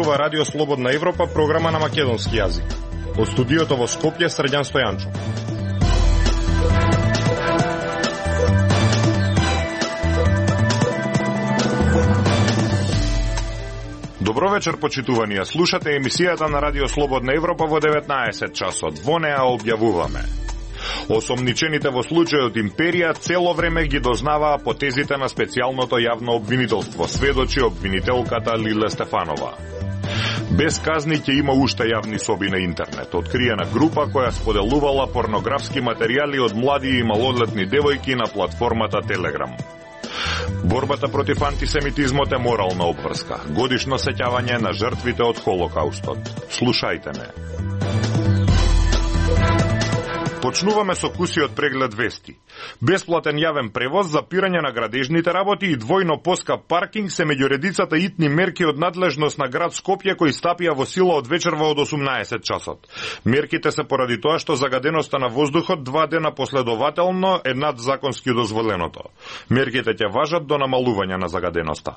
зборува Радио Слободна Европа, програма на македонски јазик. Од студиото во Скопје, Срđan Стојанчов. Добро вечер, почитувани. Слушате емисијата на Радио Слободна Европа во 19 часот. Во неа објавуваме: осомничените во случајот Империја цело време ги дознаваа потезите на специјалното јавно обвинителство, сведочи обвинителката Лиле Стефанова. Без казни ќе има уште јавни соби на интернет. Откриена група која споделувала порнографски материјали од млади и малолетни девојки на платформата Телеграм. Борбата против антисемитизмот е морална обврска. Годишно сеќавање на жртвите од Холокаустот. Слушајте ме. Почнуваме со кусиот преглед вести. Бесплатен јавен превоз, запирање на градежните работи и двојно поскап паркинг се меѓу редицата итни мерки од надлежност на град Скопје кои стапија во сила од вечерва од 18 часот. Мерките се поради тоа што загаденоста на воздухот 2 дена последователно е над законски дозволеното. Мерките ќе важат до намалување на загаденоста.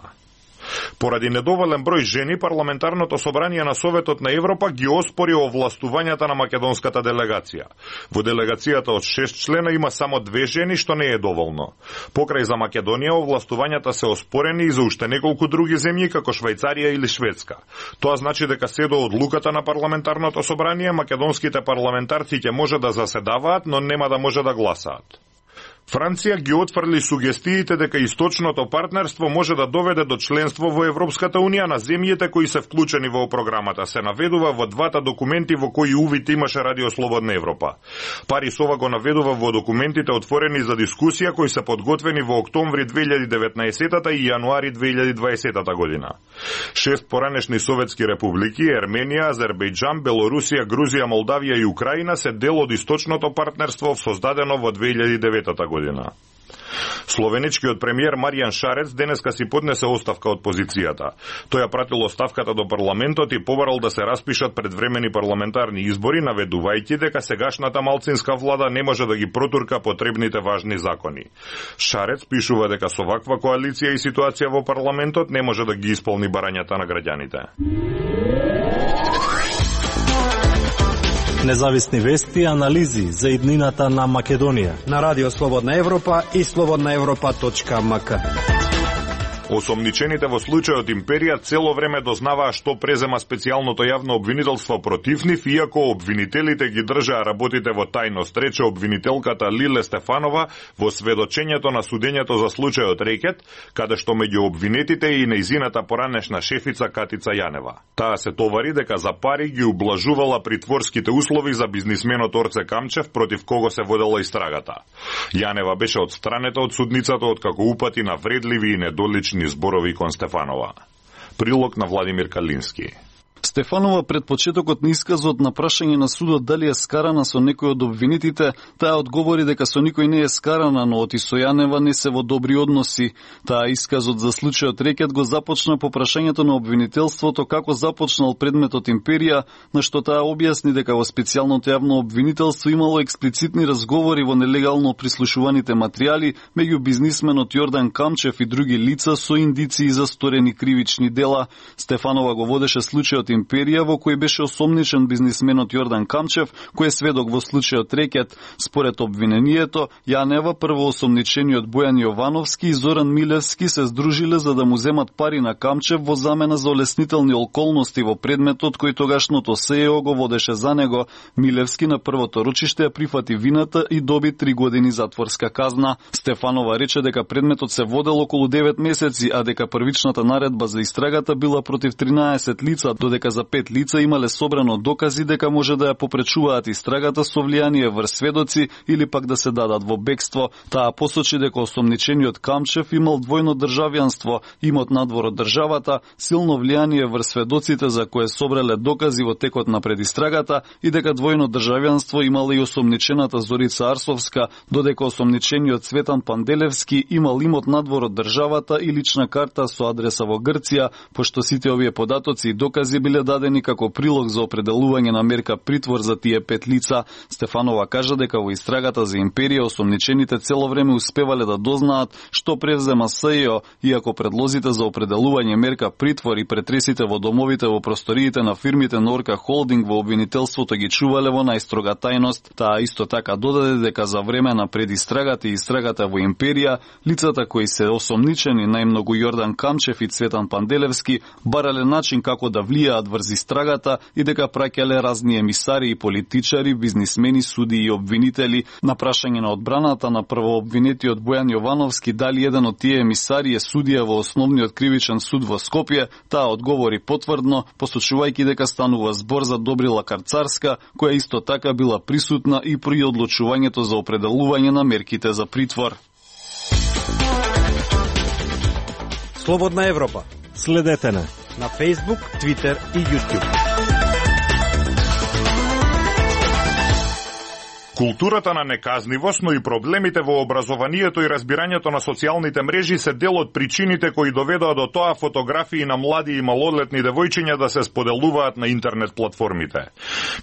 Поради недоволен број жени, парламентарното собрание на Советот на Европа ги оспори овластувањата на македонската делегација. Во делегацијата од 6 члена има само 2 жени, што не е доволно. Покрај за Македонија, овластувањата се оспорени и за уште неколку други земји, како Швајцарија или Шведска. Тоа значи дека се до одлуката на парламентарното собрание, македонските парламентарци ќе може да заседаваат, но нема да може да гласаат. Франција ги отфрли сугестиите дека источното партнерство може да доведе до членство во Европската Унија на земјите кои се вклучени во програмата. Се наведува во двата документи во кои увид имаше Радио Слободна Европа. Парис ова го наведува во документите отворени за дискусија кои се подготвени во октомври 2019 и јануари 2020 година. 6 поранешни советски републики, Ерменија, Азербејџан, Белорусија, Грузија, Молдавија и Украина се дел од источното партнерство создадено во 2009 година. Словеничкиот премиер Маријан Шарец денеска си поднесе оставка од позицијата. Тој ја пратил оставката до парламентот и побарал да се распишат предвремени парламентарни избори, наведувајќи дека сегашната малцинска влада не може да ги протурка потребните важни закони. Шарец пишува дека со ваква коалиција и ситуација во парламентот не може да ги исполни барањата на граѓаните. Независни вести и анализи за иднината на Македонија на Радио Слободна Европа и slobodnaevropa.mk. Осомничените во случајот Империја цело време дознаваа што презема специјалното јавно обвинителство против нив, иако обвинителите ги држаа работите во тајност, рече обвинителката Лиле Стефанова во сведочењето на судењето за случајот Рекет, каде што меѓу обвинетите и нејзината поранешна шефица Катица Јанева. Таа се товари дека за пари ги ублажувала притворските услови за бизнисменот Орце Камчев, против кого се водела истрагата. Јанева беше отстранета од судницата откако упати на вредливи и недолични зборови кон Стефанова. Прилог на Владимир Калински. Стефанова пред почетокот на исказот на прашање на судот дали е скарана со некој од обвинетите, таа одговори дека со никој не е скарана, но оти со Јанева не се во добри односи. Таа исказот за случајот Рекет го започна по прашањето на обвинителството како започнал предметот Империја, на што таа објасни дека во специјалното јавно обвинителство имало експлицитни разговори во нелегално прислушуваните материјали меѓу бизнисменот Јордан Камчев и други лица со индиции за сторени кривични дела. Стефанова го водеше случајот Империја, во кој беше осомничен бизнисменот Јордан Камчев, кој е сведок во случајот Рекет. Според обвинението, Јанева, првоосомничениот Бојан Јовановски и Зоран Милевски се здружиле за да му земат пари на Камчев во замена за олеснителни околности во предметот кој тогашното СЕО го водеше за него. Милевски на првото рочиште ја прифати вината и доби 3 години затворска казна. Стефанова рече дека предметот се водел околу 9 месеци, а дека првичната наредба за истрагата била против 13 лица, додека за 5 лица имале собрано докази дека може да ја попречуваат истрагата со влијание врз сведоци или пак да се дадат во бегство. Таа посочи дека осомничениот Камчев имал двојно државјанство, имот надвор од државата, силно влијание врз сведоците за кое собрале докази во текот на предистрагата и дека двојно државјанство имала и осомничената Зорица Арсовска, додека осомничениот Цветан Панделевски имал имот надвор од државата и лична карта со адреса во Грција, пошто сите овие податоци и докази биле биле дадени како прилог за определување на мерка притвор за тие 5 лица. Стефанова кажа дека во истрагата за империја осомничените цело време успевале да дознаат што превзема СЈО, иако предлозите за определување мерка притвор и претресите во домовите во просториите на фирмите Норка Холдинг во обвинителството ги чувале во најстрога тајност. Таа исто така додаде дека за време на предистрагата и истрагата во империја, лицата кои се осомничени, најмногу Јордан Камчев и Цветан Панделевски, барале начин како да влијаат врз истрагата и дека праќале разни емисари и политичари, бизнисмени, суди и обвинители. На прашање на одбраната на првообвинетиот Бојан Јовановски дали еден од тие емисари е судија во Основниот кривичен суд во Скопје, таа одговори потврдно, посочувајќи дека станува збор за Добрила Карцарска, која исто така била присутна и при одлучувањето за определување на мерките за притвор. Слободна Европа. Следете на Facebook, Twitter и YouTube. Културата на неказнивост, но и проблемите во образованието и разбирањето на социјалните мрежи се дел од причините кои доведоа до тоа фотографии на млади и малолетни девојчиња да се споделуваат на интернет платформите.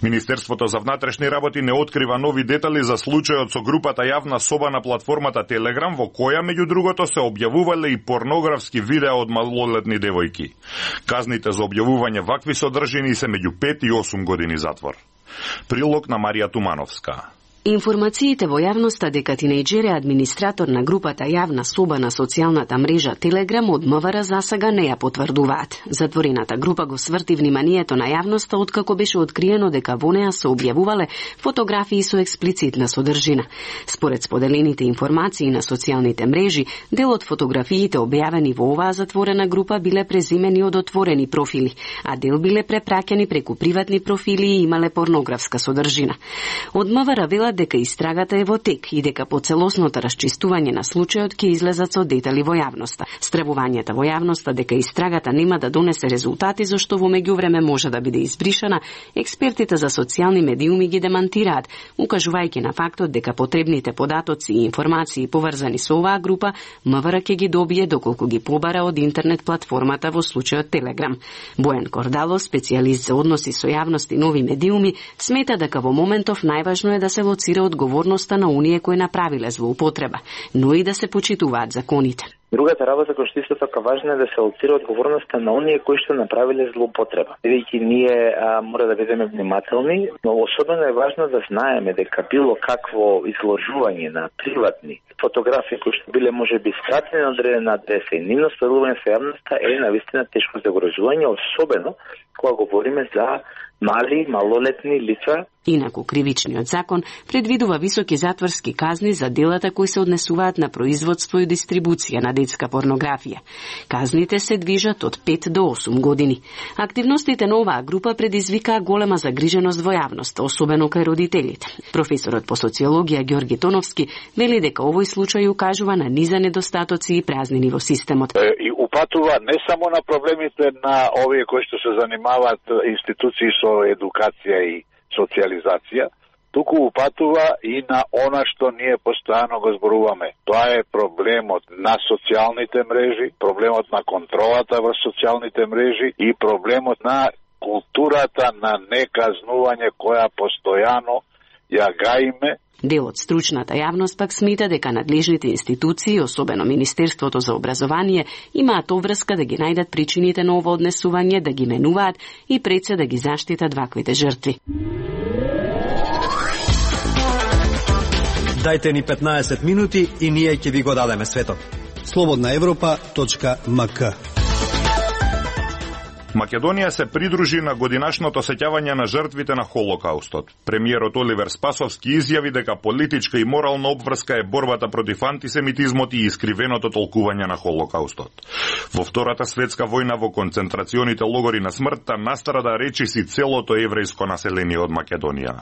Министерството за внатрешни работи не открива нови детали за случајот со групата Јавна соба на платформата Телеграм, во која меѓу другото се објавувале и порнографски видеа од малолетни девојки. Казните за објавување вакви содржини се меѓу 5 и 8 години затвор. Прилог на Марија Тумановска. Информациите во јавноста дека тинејџер е администратор на групата Јавна соба на социјалната мрежа Телеграм од МВР засега не ја потврдуваат. Затворената група го сврти вниманието на јавноста откако беше откриено дека во неа се објавувале фотографии со експлицитна содржина. Според споделените информации на социјалните мрежи, дел од фотографиите објавени во оваа затворена група биле преземени од отворени профили, а дел биле препраќани преку приватни профили и имале порнографска содржина. Од МВР велат дека истрагата е во тек и дека по целосното расчистување на случајот ќе излезат со детали во јавноста. Стравувањата во јавноста дека истрагата нема да донесе резултати зашто во меѓувреме може да биде избришана, експертите за социјални медиуми ги демантираат, укажувајќи на фактот дека потребните податоци и информации поврзани со оваа група МВР ќе ги добие доколку ги побара од интернет платформата во случајот Телеграм. Бојан Кордало, специјалист за односи со јавност и нови медиуми, смета дека во моментов најважно е да се лоцира одговорноста на оние кои направиле злоупотреба, но и да се почитуваат законите. Другата работа која што исто така важна е да се лоцира одговорноста на оние кои што направиле злоупотреба. Бидејќи ние мора да бидеме внимателни, но особено е важно да знаеме дека било какво изложување на приватни фотографии кои што биле можеби скратени на одредена адреса и нивно споделување со јавноста е навистина тешко загрозување, особено кога говориме за мали, малолетни лица. Инаку кривичниот закон предвидува високи затворски казни за делата кои се однесуваат на производство и дистрибуција на детска порнографија. Казните се движат од 5 до 8 години. Активностите на оваа група предизвикаа голема загриженост во јавноста, особено кај родителите. Професорот по социологија Ѓорги Тоновски вели дека овој случај укажува на низа недостатоци и празнини во системот. И упатува не само на проблемите на овие кои што се занимаваат институции со едукација и социализација, туку упатува и на она што ние постојано го зборуваме. Тоа е проблемот на социјалните мрежи, проблемот на контролата во социјалните мрежи и проблемот на културата на неказнување која постојано ја гаиме. Дел од стручната јавност пак смета дека надлежните институции, особено Министерството за образование, имаат обврска да ги најдат причините на ова однесување, да ги менуваат и пред се да ги заштитат ваквите жртви. Дајте ни 15 минути и ние ќе ви го дадеме светот. slobodnaevropa.mk. Македонија се придружи на годинашното сеќавање на жртвите на Холокаустот. Премиерот Оливер Спасовски изјави дека политичка и морална обврска е борбата против антисемитизмот и искривеното толкување на Холокаустот. Во Втората светска војна во концентрационите логори на смртта настрада речиси целото еврејско население од Македонија.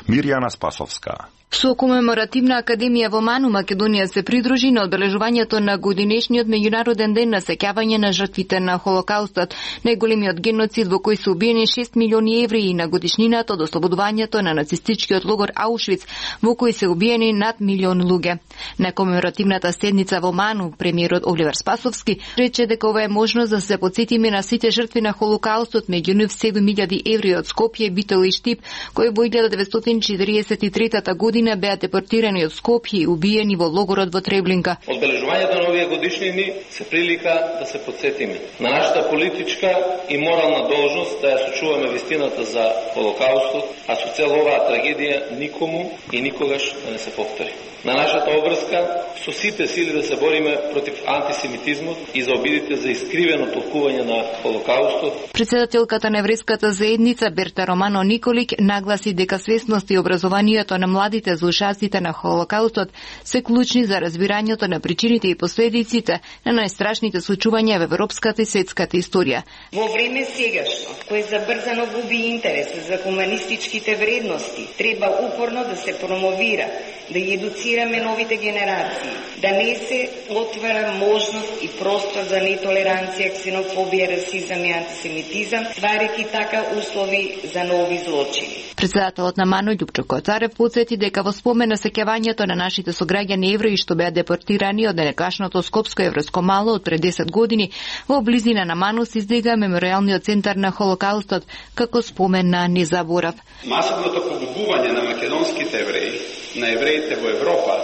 Мирјана Спасовска. Со комеморативна академија во Ману, Македонија се придружи на одбележувањето на годинешниот меѓународен ден на сеќавање на жртвите на Холокаустот, најголемиот геноцид во кој се убиени 6 милиони евреи, на годишнината од ослободувањето на нацистичкиот логор Аушвиц, во кој се убиени над милион луѓе. На комеморативната седница во Ману, премиерот Оливер Спасовски рече дека ова е можност да се потсетиме на сите жртви на Холокаустот, меѓу нив 7000 евреи од Скопје, Битол и Штип, кои во 1943 година беа депортирани од Скопје и убиени во логорот во Треблинка. Одбележувањето на овие годишнини се прилика да се потсетиме на нашата политичка и морална должност да ја сочуваме вистината за Холокаустот, а со цел оваа трагедија никому и никогаш да не се повтори. На нашата обврска со сите сили да се бориме против антисемитизмот и за обидите за искривено толкување на Холокаустот. Председателката на еврејската заедница Берта Романо Николик нагласи дека свесност и образованието на младите за ушаците на Холокаустот се клучни за разбирањето на причините и последиците на најстрашните случувања во европската и светската историја. Во време сегашно, кој забрзано губи интерес за хуманистичките вредности, треба упорно да се промовира, да ги едуцираме новите генерации, да не се отвара можност и простор за нетолеранција, ксенофобија, расизам и антисемитизам, стварајќи така услови за нови злочини. Председателот на Ману Љупчо Коцарев потсети дека во спомен на сеќавањето на нашите сограѓани евреи што беа депортирани од некашното Скопско еврејско мало од пред 10 години, во близина на Ману се издига меморијалниот центар на Холокаустот како спомен на незаборав. Масовното погубување на македонските евреи, на евреите во Европа,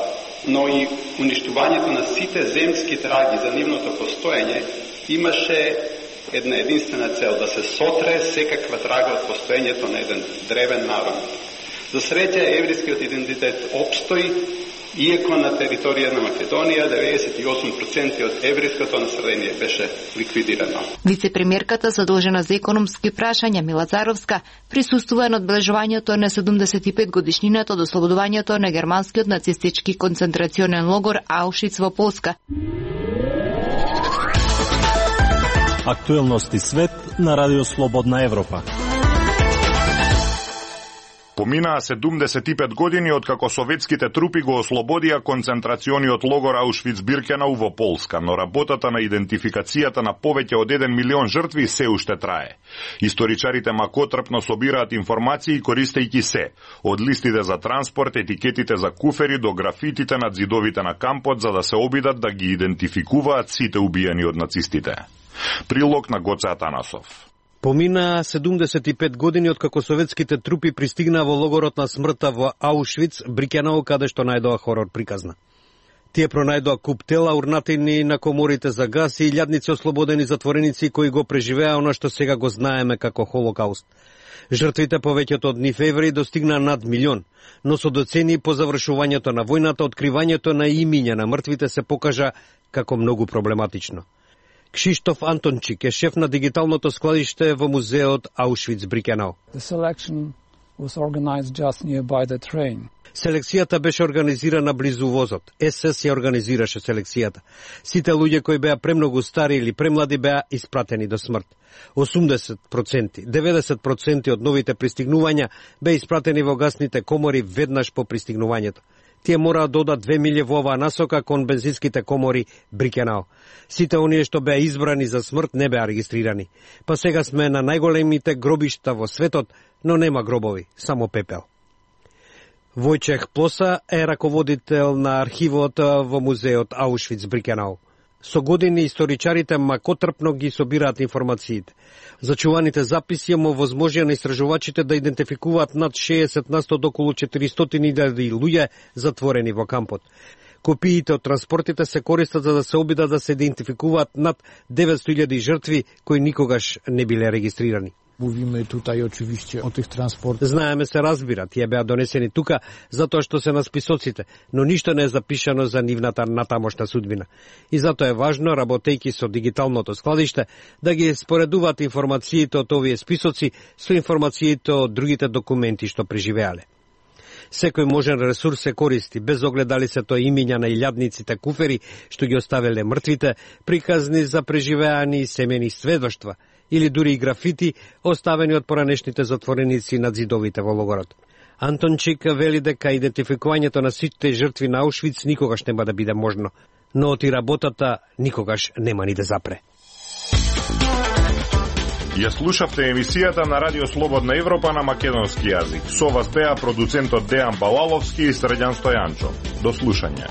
но и уништувањето на сите земски траги за нивното постоење имаше една единствена цел, да се сотре секаква трага од постоењето на еден древен народ. За среќа еврејскиот идентитет опстои, иако на територија на Македонија 98% од еврејското население беше ликвидирано. Вице-премиерката задолжена за економски прашања Мила Царовска присуствува на одбележувањето на 75 годишнината од ослободувањето на германскиот нацистички концентрационен логор Аушвиц во Полска. Актуелности свет на Радио Слободна Европа. Поминаа 75 години откако советските трупи го ослободија концентрацијониот логор Аушвиц-Биркенау во Полска, но работата на идентификацијата на повеќе од 1 милион жртви се уште трае. Историчарите макотрпно собираат информации користејќи се, од листите за транспорт, етикетите за куфери до графитите над зидовите на кампот, за да се обидат да ги идентификуваат сите убиени од нацистите. Прилог на Гоце Атанасов. Помина 75 години откако советските трупи пристигнаа во логорот на смртта во Аушвиц, Биркенау, каде што најдоа хорор приказна. Тие пронајдоа куп тела урнатени на коморите за газ и илјадници ослободени затвореници кои го преживеа она што сега го знаеме како Холокауст. Жртвите, повеќето од нив евреи, достигнаа над милион, но со доцени по завршувањето на војната, откривањето на имиња на мртвите се покажа како многу проблематично. Кшиштоф Антончик е шеф на дигиталното складиште во музеот Аушвиц-Биркенау. Селекцијата беше организирана близу возот. СС ја организираше селекцијата. Сите луѓе кои беа премногу стари или премлади беа испратени до смрт. 80%, 90% од новите пристигнувања беа испратени во гасните комори веднаш по пристигнувањето. Тие мора да одат 2 милји во оваа насока кон бензинските комори Биркенау. Сите оние што беа избрани за смрт не беа регистрирани. Па сега сме на најголемите гробишта во светот, но нема гробови, само пепел. Војчех Плоса е раководител на архивот во музеот Аушвиц-Биркенау. Со години историчарите макотрпно ги собираат информациите. Зачуваните записи овозможија на истражувачите да идентификуваат над 60% до околу 400.000 луѓе затворени во кампот. Копиите од транспортите се користат за да се обидат да се идентификуваат над 900.000 жртви кои никогаш не биле регистрирани. Mówimy tutaj oczywiście o tych transportach. Знаеме се разбира, тие беа донесени тука затоа што се на списоците, но ништо не е запишано за нивната натамошна судбина. И затоа е важно, работејќи со дигиталното складиште, да ги споредуваат информациите од овие списоци со информациите од другите документи што преживеале. Секој можен ресурс се користи, без оглед дали се тоа имиња на илјадниците куфери што ги оставиле мртвите, приказни за преживеани семени сведоштва, или дури и графити оставени од поранешните затвореници над зидовите во логорот. Антончик вели дека идентификувањето на сите жртви на Аушвиц никогаш нема да биде можно, но оти работата никогаш нема ни да запре. Ја слушавте емисијата на Радио Слободна Европа на македонски јазик. Со вас беа продуцентот Дејан Балаловски и Срđan Стојанчо. До слушање.